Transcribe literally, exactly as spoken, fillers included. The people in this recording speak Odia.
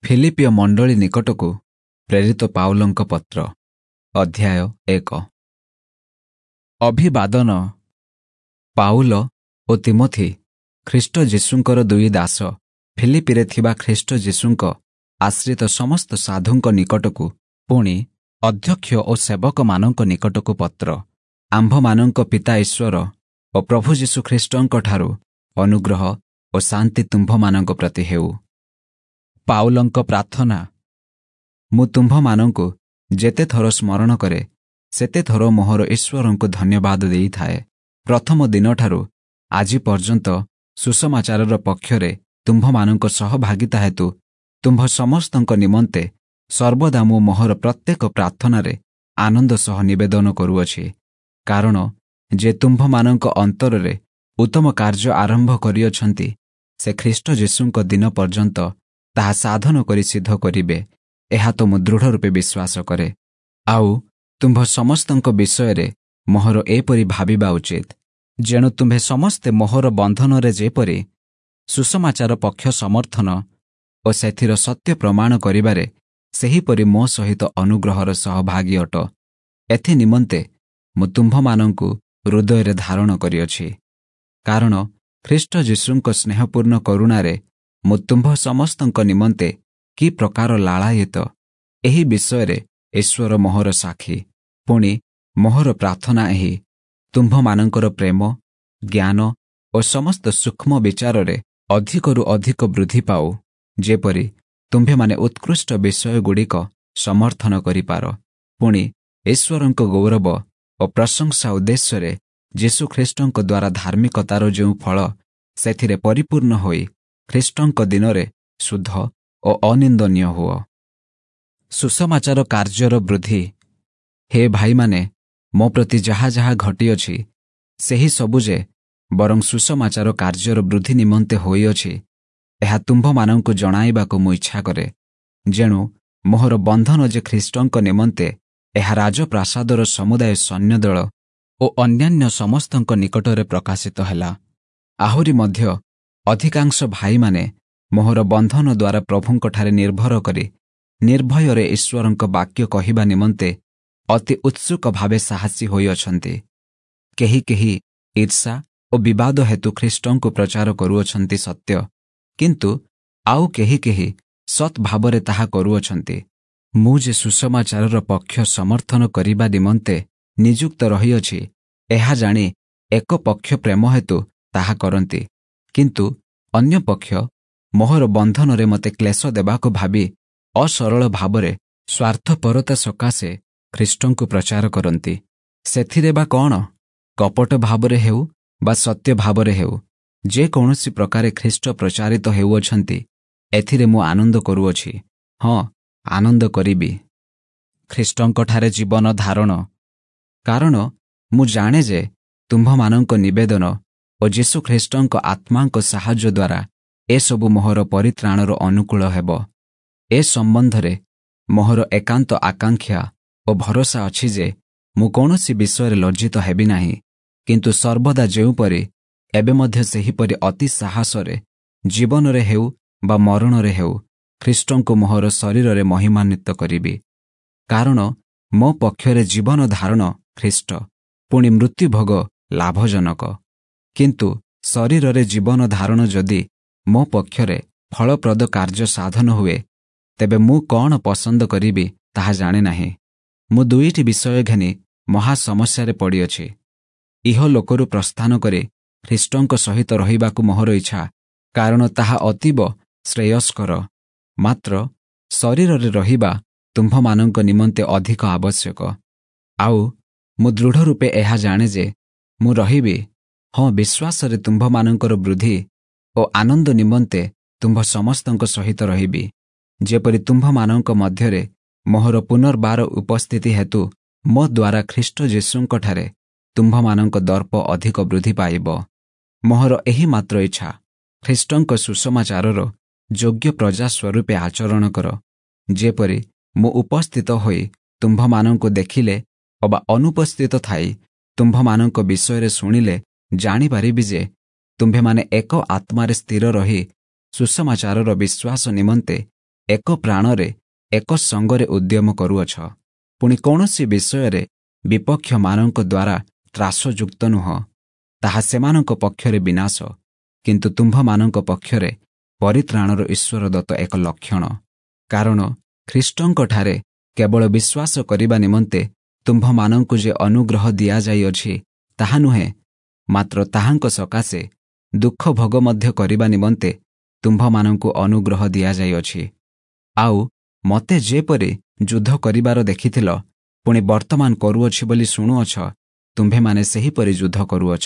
ଫିଲିପ୍ପୀୟ ମଣ୍ଡଳୀ ନିକଟକୁ ପ୍ରେରିତ ପାଉଲଙ୍କ ପତ୍ର ଅଧ୍ୟାୟ ଏକ ଅଭିବାଦନ ପାଉଲ ଓ ତିମୋଥି ଖ୍ରୀଷ୍ଟ ଯୀଶୁଙ୍କର ଦୁଇ ଦାସ ଫିଲିପିରେ ଥିବା ଖ୍ରୀଷ୍ଟ ଯୀଶୁଙ୍କ ଆଶ୍ରିତ ସମସ୍ତ ସାଧୁଙ୍କ ନିକଟକୁ ପୁଣି ଅଧ୍ୟକ୍ଷ ଓ ସେବକମାନଙ୍କ ନିକଟକୁ ପତ୍ର ଆମ୍ଭମାନଙ୍କ ପିତା ଈଶ୍ୱର ଓ ପ୍ରଭୁ ଯୀଶୁ ଖ୍ରୀଷ୍ଟଙ୍କଠାରୁ ଅନୁଗ୍ରହ ଓ ଶାନ୍ତି ତୁମ୍ଭମାନଙ୍କ ପ୍ରତି ହେଉ ପାଉଲଙ୍କ ପ୍ରାର୍ଥନା ମୁଁ ତୁମ୍ଭମାନଙ୍କୁ ଯେତେ ଥର ସ୍ମରଣ କରେ ସେତେ ଥର ମୋହର ଈଶ୍ୱରଙ୍କୁ ଧନ୍ୟବାଦ ଦେଇଥାଏ ପ୍ରଥମ ଦିନଠାରୁ ଆଜି ପର୍ଯ୍ୟନ୍ତ ସୁସମାଚାରର ପକ୍ଷରେ ତୁମ୍ଭମାନଙ୍କ ସହଭାଗିତା ହେତୁ ତୁମ୍ଭ ସମସ୍ତଙ୍କ ନିମନ୍ତେ ସର୍ବଦା ମୁଁ ମୋହର ପ୍ରତ୍ୟେକ ପ୍ରାର୍ଥନାରେ ଆନନ୍ଦ ସହ ନିବେଦନ କରୁଅଛି କାରଣ ଯେ ତୁମ୍ଭମାନଙ୍କ ଅନ୍ତରରେ ଉତ୍ତମ କାର୍ଯ୍ୟ ଆରମ୍ଭ କରିଅଛନ୍ତି ସେ ଖ୍ରୀଷ୍ଟ ଯୀଶୁଙ୍କ ଦିନ ପର୍ଯ୍ୟନ୍ତ ତାହା ସାଧନ କରି ସିଦ୍ଧ କରିବେ ଏହା ତ ମୁଁ ଦୃଢ଼ ରୂପେ ବିଶ୍ୱାସ କରେ ଆଉ ତୁମ୍ଭ ସମସ୍ତଙ୍କ ବିଷୟରେ ମୋହର ଏପରି ଭାବିବା ଉଚିତ ଯେଣୁ ତୁମ୍ଭେ ସମସ୍ତେ ମୋହର ବନ୍ଧନରେ ଯେପରି ସୁସମାଚାର ପକ୍ଷ ସମର୍ଥନ ଓ ସେଥିର ସତ୍ୟ ପ୍ରମାଣ କରିବାରେ ସେହିପରି ମୋ ସହିତ ଅନୁଗ୍ରହର ସହଭାଗୀ ଅଟ ଏଥି ନିମନ୍ତେ ମୁଁ ତୁମ୍ଭମାନଙ୍କୁ ହୃଦୟରେ ଧାରଣ କରିଅଛି କାରଣ ଖ୍ରୀଷ୍ଟ ଯୀଶୁଙ୍କ ସ୍ନେହପୂର୍ଣ୍ଣ କରୁଣାରେ ମୁଁ ତୁମ୍ଭ ସମସ୍ତଙ୍କ ନିମନ୍ତେ କି ପ୍ରକାର ଲାଳାୟିତ ଏହି ବିଷୟରେ ଈଶ୍ୱର ମୋହର ସାକ୍ଷୀ ପୁଣି ମୋହର ପ୍ରାର୍ଥନା ଏହି ତୁମ୍ଭମାନଙ୍କର ପ୍ରେମ ଜ୍ଞାନ ଓ ସମସ୍ତ ସୂକ୍ଷ୍ମ ବିଚାରରେ ଅଧିକରୁ ଅଧିକ ବୃଦ୍ଧି ପାଉ ଯେପରି ତୁମ୍ଭେମାନେ ଉତ୍କୃଷ୍ଟ ବିଷୟଗୁଡ଼ିକ ସମର୍ଥନ କରିପାର ପୁଣି ଈଶ୍ୱରଙ୍କ ଗୌରବ ଓ ପ୍ରଶଂସା ଉଦ୍ଦେଶ୍ୟରେ ଯୀଶୁଖ୍ରୀଷ୍ଟଙ୍କ ଦ୍ୱାରା ଧାର୍ମିକତାର ଯେଉଁ ଫଳ ସେଥିରେ ପରିପୂର୍ଣ୍ଣ ହୋଇ ଖ୍ରୀଷ୍ଟଙ୍କ ଦିନରେ ଶୁଦ୍ଧ ଓ ଅନିନ୍ଦନୀୟ ହୁଅ ସୁସମାଚାର କାର୍ଯ୍ୟର ବୃଦ୍ଧି ହେ ଭାଇମାନେ ମୋ ପ୍ରତି ଯାହା ଯାହା ଘଟିଅଛି ସେହି ସବୁ ଯେ ବରଂ ସୁସମାଚାର କାର୍ଯ୍ୟର ବୃଦ୍ଧି ନିମନ୍ତେ ହୋଇଅଛି ଏହା ତୁମ୍ଭମାନଙ୍କୁ ଜଣାଇବାକୁ ମୁଁ ଇଚ୍ଛା କରେ ଯେଣୁ ମୋହର ବନ୍ଧନ ଯେ ଖ୍ରୀଷ୍ଟଙ୍କ ନିମନ୍ତେ ଏହା ରାଜପ୍ରାସାଦର ସମୁଦାୟ ସୈନ୍ୟଦଳ ଓ ଅନ୍ୟାନ୍ୟ ସମସ୍ତଙ୍କ ନିକଟରେ ପ୍ରକାଶିତ ହେଲା ଆହୁରି ମଧ୍ୟ ଅଧିକାଂଶ ଭାଇମାନେ ମୋହର ବନ୍ଧନ ଦ୍ୱାରା ପ୍ରଭୁଙ୍କଠାରେ ନିର୍ଭର କରି ନିର୍ଭୟରେ ଈଶ୍ୱରଙ୍କ ବାକ୍ୟ କହିବା ନିମନ୍ତେ ଅତି ଉତ୍ସୁକ ଭାବେ ସାହସୀ ହୋଇଅଛନ୍ତି କେହି କେହି ଈର୍ଷା ଓ ବିବାଦ ହେତୁ ଖ୍ରୀଷ୍ଟଙ୍କୁ ପ୍ରଚାର କରୁଅଛନ୍ତି ସତ୍ୟ କିନ୍ତୁ ଆଉ କେହି କେହି ସତ୍ ଭାବରେ ତାହା କରୁଅଛନ୍ତି ମୁଁ ଯେ ସୁସମାଚାରର ପକ୍ଷ ସମର୍ଥନ କରିବା ନିମନ୍ତେ ନିଯୁକ୍ତ ରହିଅଛି ଏହା ଜାଣି ଏକ ପକ୍ଷ ପ୍ରେମ ହେତୁ ତାହା କରନ୍ତି କିନ୍ତୁ ଅନ୍ୟ ପକ୍ଷ ମୋହର ବନ୍ଧନରେ ମୋତେ କ୍ଲେଶ ଦେବାକୁ ଭାବି ଅସରଳ ଭାବରେ ସ୍ୱାର୍ଥପରତା ସକାଶେ ଖ୍ରୀଷ୍ଟଙ୍କୁ ପ୍ରଚାର କରନ୍ତି ସେଥିରେ ବା କ'ଣ କପଟ ଭାବରେ ହେଉ ବା ସତ୍ୟ ଭାବରେ ହେଉ ଯେକୌଣସି ପ୍ରକାରେ ଖ୍ରୀଷ୍ଟ ପ୍ରଚାରିତ ହେଉଅଛନ୍ତି ଏଥିରେ ମୁଁ ଆନନ୍ଦ କରୁଅଛି ହଁ ଆନନ୍ଦ କରିବି ଖ୍ରୀଷ୍ଟଙ୍କଠାରେ ଜୀବନ ଧାରଣ କାରଣ ମୁଁ ଜାଣେ ଯେ ତୁମ୍ଭମାନଙ୍କ ନିବେଦନ ଓ ଯୀଶୁ ଖ୍ରୀଷ୍ଟଙ୍କ ଆତ୍ମାଙ୍କ ସାହାଯ୍ୟ ଦ୍ୱାରା ଏସବୁ ମୋହର ପରିତ୍ରାଣର ଅନୁକୂଳ ହେବ ଏ ସମ୍ବନ୍ଧରେ ମୋହର ଏକାନ୍ତ ଆକାଂକ୍ଷା ଓ ଭରସା ଅଛି ଯେ ମୁଁ କୌଣସି ବିଷୟରେ ଲଜ୍ଜିତ ହେବି ନାହିଁ କିନ୍ତୁ ସର୍ବଦା ଯେଉଁପରି ଏବେ ମଧ୍ୟ ସେହିପରି ଅତି ସାହସରେ ଜୀବନରେ ହେଉ ବା ମରଣରେ ହେଉ ଖ୍ରୀଷ୍ଟଙ୍କୁ ମୋହର ଶରୀରରେ ମହିମାନ୍ୱିତ କରିବି କାରଣ ମୋ ପକ୍ଷରେ ଜୀବନ ଧାରଣ ଖ୍ରୀଷ୍ଟ ପୁଣି ମୃତ୍ୟୁଭୋଗ ଲାଭଜନକ କିନ୍ତୁ ଶରୀରରେ ଜୀବନ ଧାରଣ ଯଦି ମୋ ପକ୍ଷରେ ଫଳପ୍ରଦ କାର୍ଯ୍ୟ ସାଧନ ହୁଏ ତେବେ ମୁଁ କ'ଣ ପସନ୍ଦ କରିବି ତାହା ଜାଣେ ନାହିଁ ମୁଁ ଦୁଇଟି ବିଷୟ ଘେନି ମହା ସମସ୍ୟାରେ ପଡ଼ିଅଛି ଇହଲୋକରୁ ପ୍ରସ୍ଥାନ କରି ଖ୍ରୀଷ୍ଟଙ୍କ ସହିତ ରହିବାକୁ ମୋହର ଇଚ୍ଛା କାରଣ ତାହା ଅତୀବ ଶ୍ରେୟସ୍କର ମାତ୍ର ଶରୀରରେ ରହିବା ତୁମ୍ଭମାନଙ୍କ ନିମନ୍ତେ ଅଧିକ ଆବଶ୍ୟକ ଆଉ ମୁଁ ଦୃଢ଼ ରୂପେ ଏହା ଜାଣେ ଯେ ମୁଁ ରହିବି ହଁ ବିଶ୍ୱାସରେ ତୁମ୍ଭମାନଙ୍କର ବୃଦ୍ଧି ଓ ଆନନ୍ଦ ନିମନ୍ତେ ତୁମ୍ଭ ସମସ୍ତଙ୍କ ସହିତ ରହିବି ଯେପରି ତୁମ୍ଭମାନଙ୍କ ମଧ୍ୟରେ ମୋହର ପୁନର୍ବାର ଉପସ୍ଥିତି ହେତୁ ମୋ ଦ୍ୱାରା ଖ୍ରୀଷ୍ଟ ଯୀଶୁଙ୍କଠାରେ ତୁମ୍ଭମାନଙ୍କ ଦର୍ପ ଅଧିକ ବୃଦ୍ଧି ପାଇବ ମୋହର ଏହି ମାତ୍ର ଇଚ୍ଛା ଖ୍ରୀଷ୍ଟଙ୍କ ସୁସମାଚାରର ଯୋଗ୍ୟ ପ୍ରଜା ସ୍ୱରୂପେ ଆଚରଣ କର ଯେପରି ମୁଁ ଉପସ୍ଥିତ ହୋଇ ତୁମ୍ଭମାନଙ୍କୁ ଦେଖିଲେ ଅବା ଅନୁପସ୍ଥିତ ଥାଇ ତୁମ୍ଭମାନଙ୍କ ବିଷୟରେ ଶୁଣିଲେ ଜାଣିପାରିବି ଯେ ତୁମ୍ଭେମାନେ ଏକ ଆତ୍ମାରେ ସ୍ଥିର ରହି ସୁସମାଚାରର ବିଶ୍ୱାସ ନିମନ୍ତେ ଏକ ପ୍ରାଣରେ ଏକ ସଙ୍ଗରେ ଉଦ୍ୟମ କରୁଅଛ। ପୁଣି କୌଣସି ବିଷୟରେ ବିପକ୍ଷମାନଙ୍କ ଦ୍ୱାରା ତ୍ରାସଯୁକ୍ତ ନୁହଁ। ତାହା ସେମାନଙ୍କ ପକ୍ଷରେ ବିନାଶ, କିନ୍ତୁ ତୁମ୍ଭମାନଙ୍କ ପକ୍ଷରେ ପରିତ୍ରାଣର ଈଶ୍ୱରଦତ୍ତ ଏକ ଲକ୍ଷଣ। କାରଣ ଖ୍ରୀଷ୍ଟଙ୍କଠାରେ କେବଳ ବିଶ୍ୱାସ କରିବା ନିମନ୍ତେ ତୁମ୍ଭମାନଙ୍କୁ ଯେ ଅନୁଗ୍ରହ ଦିଆଯାଇଅଛି ତାହା ନୁହେଁ, ମାତ୍ର ତାହାଙ୍କ ସକାଶେ ଦୁଃଖ ଭୋଗ ମଧ୍ୟ କରିବା ନିମନ୍ତେ ତୁମ୍ଭମାନଙ୍କୁ ଅନୁଗ୍ରହ ଦିଆଯାଇଅଛି। ଆଉ ମୋତେ ଯେପରି ଯୁଦ୍ଧ କରିବାର ଦେଖିଥିଲ, ପୁଣି ବର୍ତ୍ତମାନ କରୁଅଛି ବୋଲି ଶୁଣୁଅଛ, ତୁମ୍ଭେମାନେ ସେହିପରି ଯୁଦ୍ଧ କରୁଅଛ।